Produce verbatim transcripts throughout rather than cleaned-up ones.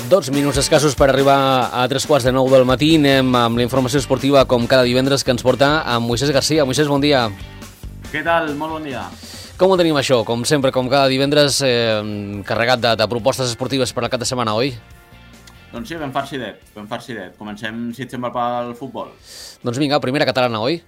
Dos minuts escassos per arribar a tres quarts de nou del matí. Anem amb la informació esportiva com cada divendres que ens porta amb Moisés Garcia. Moisés, bon dia. Què tal? Molt bon dia. Com ho tenim això? Com sempre, com cada divendres, eh, carregat de, de propostes esportives per al cap de setmana, oi? Doncs sí, ben farcidet, ben farcidet. Comencem, si et sembla, pel futbol. Doncs vinga, primera catalana, oi?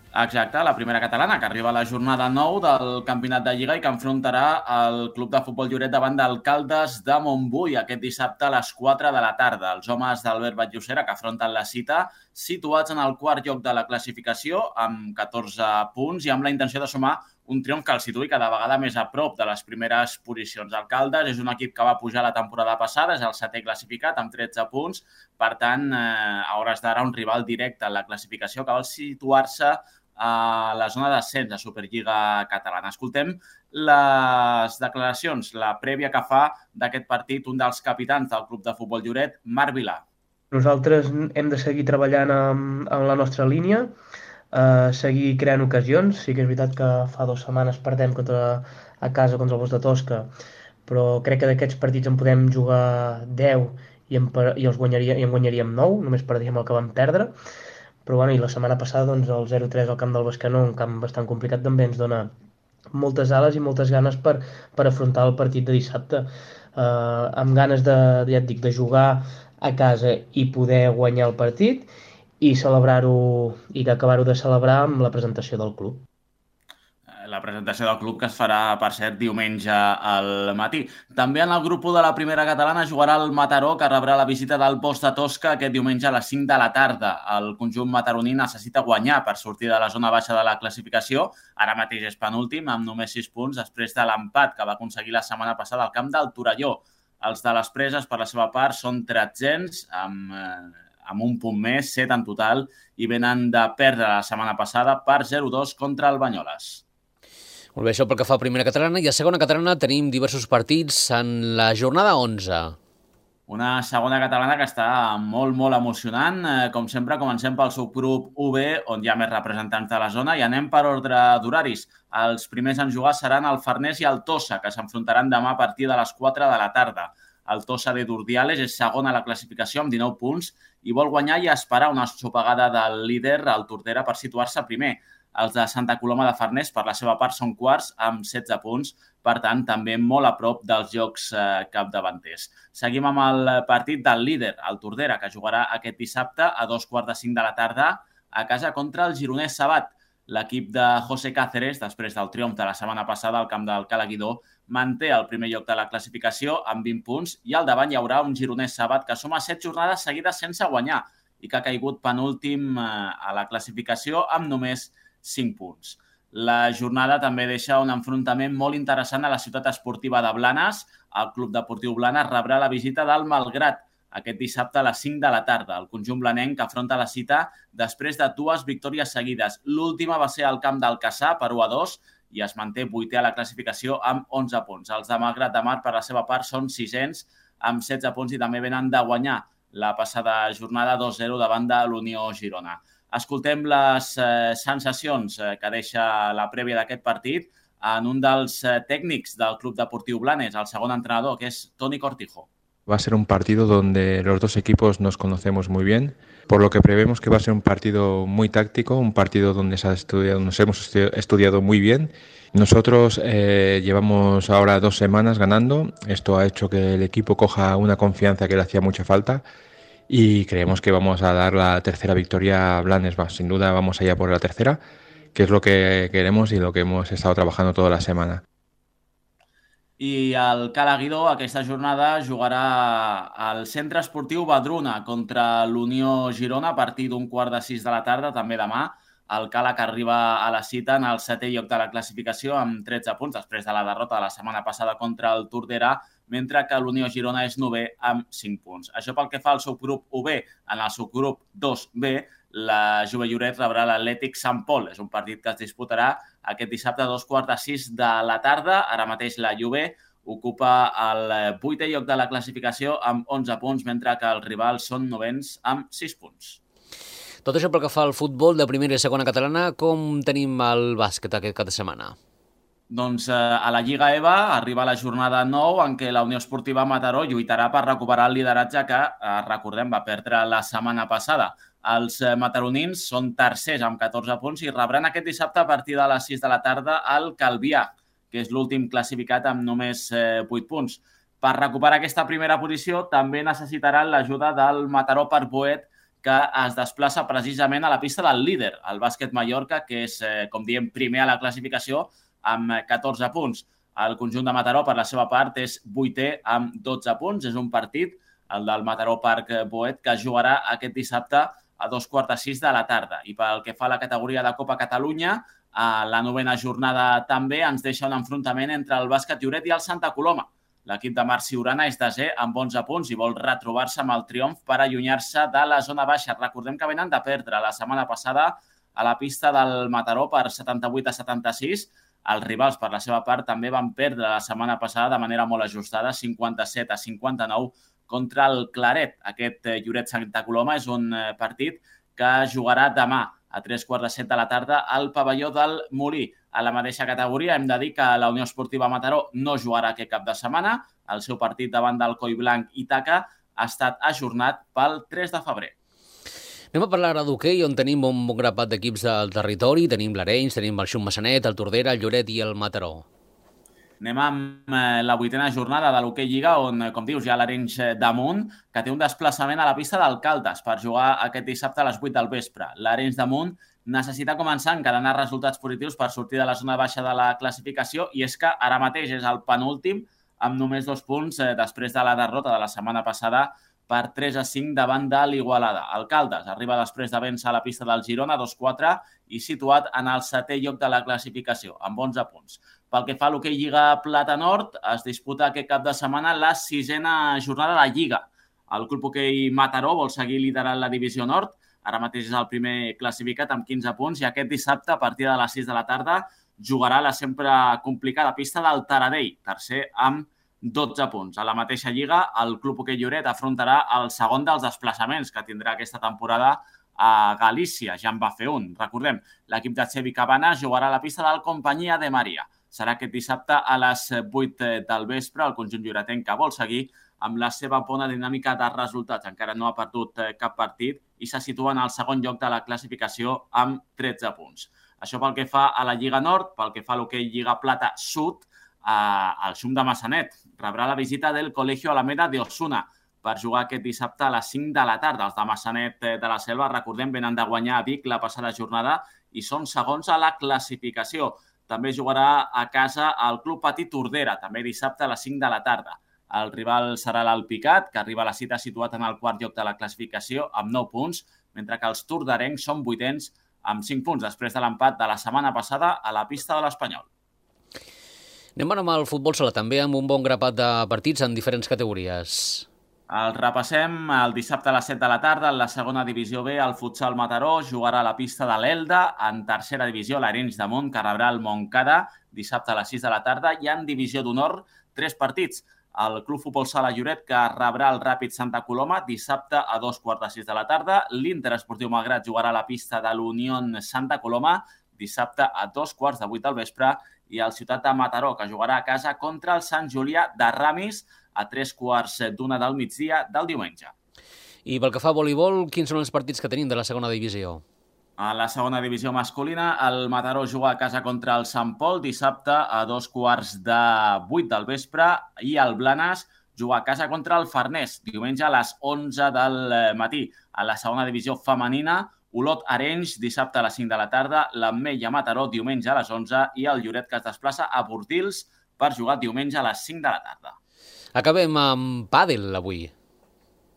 Exacte, la primera catalana, que arriba a la jornada nou del Campionat de Lliga i que enfrontarà el Club de Futbol Lloret davant d'Alcaldes de Montbui aquest dissabte a les quatre de la tarda. Els homes d'Albert Batllocera que afronten la cita situats en el quart lloc de la classificació amb catorze punts i amb la intenció de sumar un triomf que el situï cada vegada més a prop de les primeres posicions. Alcaldes és un equip que va pujar la temporada passada, és el setè classificat amb tretze punts, per tant, eh, a hores d'ara un rival directe en la classificació que vol situar-se a la zona d'ascens de Superliga Catalana. Escoltem les declaracions, la prèvia que fa d'aquest partit un dels capitans del Club de Futbol Lloret, Marc Vilà. Nosaltres hem de seguir treballant amb, amb la nostra línia, eh, seguir creant ocasions. Sí que és veritat que fa dues setmanes perdem contra, a casa contra el Bosc de Tosca, però crec que d'aquests partits en podem jugar deu i en, i els guanyaria, i en guanyaríem nou, només perdíem el que vam perdre. Però bueno, i la setmana passada doncs, el zero tres al camp del Bescanó, un camp bastant complicat, també ens dona moltes ales i moltes ganes per, per afrontar el partit de dissabte. Uh, amb ganes de, ja et dic, de jugar a casa i poder guanyar el partit i celebrar-ho i acabar-ho de celebrar amb la presentació del club. La presentació del club que es farà, per cert, diumenge al matí. També en el grup u de la primera catalana jugarà el Mataró, que rebrà la visita del Bosc de Tosca aquest diumenge a les cinc de la tarda. El conjunt mataroní necessita guanyar per sortir de la zona baixa de la classificació. Ara mateix és penúltim, amb només sis punts, després de l'empat que va aconseguir la setmana passada al camp del Torelló. Els de les Preses, per la seva part, són tretzens, amb, eh, amb un punt més, set en total, i venen de perdre la setmana passada per zero dos contra el Banyoles. Molt bé, això pel que fa a primera catalana. I a segona catalana tenim diversos partits en la jornada onze. Una segona catalana que està molt, molt emocionant. Com sempre, comencem pel subgrup u be, on hi ha més representants de la zona, i anem per ordre d'horaris. Els primers en jugar seran el Farners i el Tossa, que s'enfrontaran demà a partir de les quatre de la tarda. El Tossa de Durdiales és segon a la classificació amb dinou punts i vol guanyar i esperar una sopegada del líder, el Tordera, per situar-se primer. Els de Santa Coloma de Farners, per la seva part, són quarts amb setze punts, per tant, també molt a prop dels jocs eh, capdavanters. Seguim amb el partit del líder, el Tordera, que jugarà aquest dissabte a dos quarts de cinc de la tarda a casa contra el gironès Sabat. L'equip de José Cáceres, després del triomf de la setmana passada al camp del Calaguidó, manté el primer lloc de la classificació amb vint punts i al davant hi haurà un gironès Sabat que suma set jornades seguides sense guanyar i que ha caigut penúltim eh, a la classificació amb només cinc punts. La jornada també deixa un enfrontament molt interessant a la ciutat esportiva de Blanes. El Club Deportiu Blanes rebrà la visita del Malgrat aquest dissabte a les cinc de la tarda. El conjunt blanenc que afronta la cita després de dues victòries seguides. L'última va ser al camp del Cassà per u a dos i es manté vuitè a la classificació amb onze punts. Els de Malgrat de Mar, per la seva part, són sisens amb setze punts i també venen de guanyar la passada jornada dos zero davant de l'Unió Girona. Escoltem les eh, sensacions eh, que deixa la prèvia d'aquest partit en un dels eh, tècnics del Club Deportiu Blanes, el segon entrenador, que és Toni Cortijo. Va a ser un partido donde los dos equipos nos conocemos muy bien, por lo que prevemos que va a ser un partido muy táctico, un partido donde se ha estudiado, nos hemos estudiado muy bien. Nosotros eh, llevamos ahora dos semanas ganando, esto ha hecho que el equipo coja una confianza que le hacía mucha falta. Y creemos que vamos a dar la tercera victoria a Blanes. Sin duda vamos allá por la tercera, que es lo que queremos y lo que hemos estado trabajando toda la semana. I el Calaguidó aquesta jornada jugarà al Centre Esportiu Badruna contra l'Unió Girona a partir d'un quart de sis de la tarda, també demà. El Cala que arriba a la cita en el setè lloc de la classificació amb tretze punts després de la derrota de la setmana passada contra el Tordera, mentre que l'Unió Girona és novè amb cinc punts. Això pel que fa al subgrup u be. En el subgrup dos be, la Jove Lloret rebrà l'Atlètic Sant Pol. És un partit que es disputarà aquest dissabte a dos quarts de sis de la tarda. Ara mateix la Jove ocupa el vuitè lloc de la classificació amb onze punts, mentre que els rivals són novens amb sis punts. Tot això pel que fa al futbol de primera i segona catalana, com tenim el bàsquet aquest cap de setmana? Doncs eh, a la Lliga E V A arriba la jornada nou en què la Unió Esportiva Mataró lluitarà per recuperar el lideratge que, eh, recordem, va perdre la setmana passada. Els eh, mataronins són tercers amb catorze punts i rebran aquest dissabte a partir de les sis de la tarda al Calvià, que és l'últim classificat amb només eh, vuit punts. Per recuperar aquesta primera posició també necessitaran l'ajuda del Mataró Parc-Boet, que es desplaça precisament a la pista del líder, el Bàsquet Mallorca, que és, eh, com diem, primer a la classificació amb catorze punts. El conjunt de Mataró, per la seva part, és vuitè amb dotze punts. És un partit, el del Mataró Parc-Boet, que es jugarà aquest dissabte a dos quarts de sis de la tarda. I pel que fa a la categoria de Copa Catalunya, a la novena jornada també ens deixa un enfrontament entre el Bàsquet Lloret i el Santa Coloma. L'equip de Marc Ciurana és desè amb onze punts i vol retrobar-se amb el triomf per allunyar-se de la zona baixa. Recordem que venen de perdre la setmana passada a la pista del Mataró per setanta-vuit a setanta-sis. Els rivals, per la seva part, també van perdre la setmana passada de manera molt ajustada, cinquanta-set a cinquanta-nou, contra el Claret. Aquest Lloret-Santa Coloma és un partit que jugarà demà a tres quarts de set de la tarda al pavelló del Molí. A la mateixa categoria hem de dir que la Unió Esportiva Mataró no jugarà aquest cap de setmana. El seu partit davant del Collblanc Ítaca ha estat ajornat pel tres de febrer. Anem a parlar ara d'hoquei, on tenim un bon grapat d'equips del territori. Tenim l'Arenys, tenim el Xum Massanet, el Tordera, el Lloret i el Mataró. Anem amb la vuitena jornada de l'Hoquei Lliga, on, com dius, hi ha l'Arenys d'Amunt, que té un desplaçament a la pista d'Alcaldes per jugar aquest dissabte a les vuit del vespre. L'Arenys d'Amunt necessita començar a encadenar resultats positius per sortir de la zona baixa de la classificació, i és que ara mateix és el penúltim amb només dos punts després de la derrota de la setmana passada per tres a cinc davant de l'Igualada. Alcaldes arriba després de vèncer a la pista del Girona dos quatre i situat en el setè lloc de la classificació, amb onze punts. Pel que fa a l'Hoquei Lliga Plata Nord, es disputa aquest cap de setmana la sisena jornada de Lliga. El Club Hoquei Mataró vol seguir liderant la divisió nord, ara mateix és el primer classificat amb quinze punts, i aquest dissabte, a partir de les sis de la tarda, jugarà la sempre complicada pista del Taradell, tercer amb dotze punts. A la mateixa lliga, el Club Hoquei Lloret afrontarà el segon dels desplaçaments que tindrà aquesta temporada a Galícia. Ja en va fer un. Recordem, l'equip de Xevi Cabana jugarà a la pista del Companyia de Maria. Serà aquest dissabte a les vuit del vespre. El conjunt lloretenc que vol seguir amb la seva bona dinàmica de resultats. Encara no ha perdut cap partit i se situa en el segon lloc de la classificació amb tretze punts. Això pel que fa a la Lliga Nord. Pel que fa a l'Hoquei Lliga Plata Sud, el Xum de Massanet rebrà la visita del Colegio Alameda de Osuna per jugar aquest dissabte a les cinc de la tarda. Els de Massanet de la Selva, recordem, venen de guanyar a Vic la passada jornada i són segons a la classificació. També jugarà a casa el Club Petit Tordera, també dissabte a les cinc de la tarda. El rival serà l'Alpicat, que arriba a la cita situat en el quart lloc de la classificació amb nou punts, mentre que els tordarencs són vuitens amb cinc punts després de l'empat de la setmana passada a la pista de l'Espanyol. Anem ara amb el futbol sala, també amb un bon grapat de partits en diferents categories. El repassem el dissabte a les set de la tarda. En la segona divisió B, el futsal Mataró jugarà a la pista de l'Elda. En tercera divisió, l'Arenys d'Amunt, que rebrà el Montcada dissabte a les sis de la tarda. I en divisió d'honor, tres partits. El Club Futbol Sala Lloret, que rebrà el Ràpid Santa Coloma dissabte a dos quarts de sis de la tarda. L'Inter Esportiu Malgrat jugarà a la pista de l'Unión Santa Coloma dissabte a dos quarts de vuit del vespre. I el Ciutat de Mataró, que jugarà a casa contra el Sant Julià de Ramis a tres quarts d'una del migdia del diumenge. I pel que fa a voleibol, quins són els partits que tenim de la segona divisió? A la segona divisió masculina, el Mataró juga a casa contra el Sant Pol dissabte a dos quarts de vuit del vespre i el Blanes juga a casa contra el Farners diumenge a les onze del matí. A la segona divisió femenina, Olot Arenys dissabte a les cinc de la tarda, l'Ametlla Mataró diumenge a les onze i el Lloret, que es desplaça a Bordils per jugar diumenge a les cinc de la tarda. Acabem amb pàdel avui.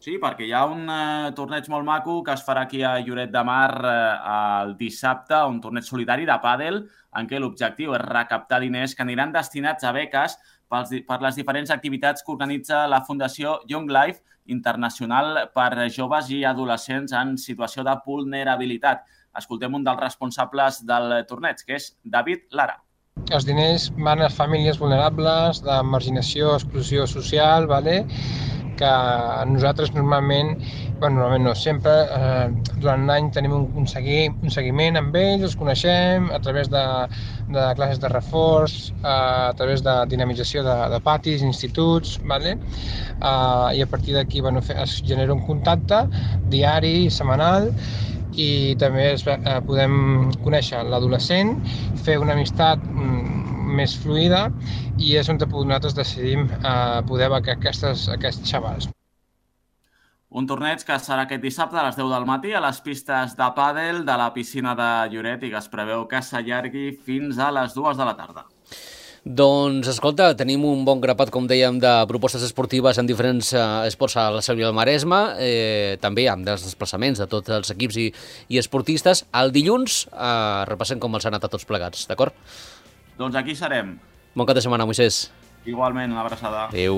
Sí, perquè hi ha un eh, torneig molt maco que es farà aquí a Lloret de Mar eh, el dissabte, un torneig solitari de pàdel en què l'objectiu és recaptar diners que aniran destinats a beques pels, per les diferents activitats que organitza la Fundació Young Life Internacional per joves i adolescents en situació de vulnerabilitat. Escoltem un dels responsables del torneig, que és David Lara. Els diners van a famílies vulnerables, de marginació, exclusió social, ¿vale? que nosaltres normalment, bueno, normalment no, sempre eh, durant l'any tenim un, un, segui, un seguiment amb ells, els coneixem a través de, de classes de reforç, eh, a través de dinamització de, de patis, instituts, vale? eh, i a partir d'aquí bueno, es genera un contacte diari, setmanal, i també es, eh, podem conèixer l'adolescent, fer una amistat mm, més fluida, i és on nosaltres decidim eh, poder becar aquestes, aquests xavals. Un torneig que serà aquest dissabte a les deu del matí a les pistes de pàdel de la piscina de Lloret i que es preveu que s'allargui fins a les dues de la tarda. Doncs, escolta, tenim un bon grapat, com dèiem, de propostes esportives en diferents eh, esports a la Selva i al Maresme, eh, també amb els desplaçaments de tots els equips i, i esportistes. El dilluns eh, repassem com els ha anat a tots plegats, d'acord? Doncs aquí serem. Bon cap de setmana, Moisès. Igualment, una abraçada. Adéu.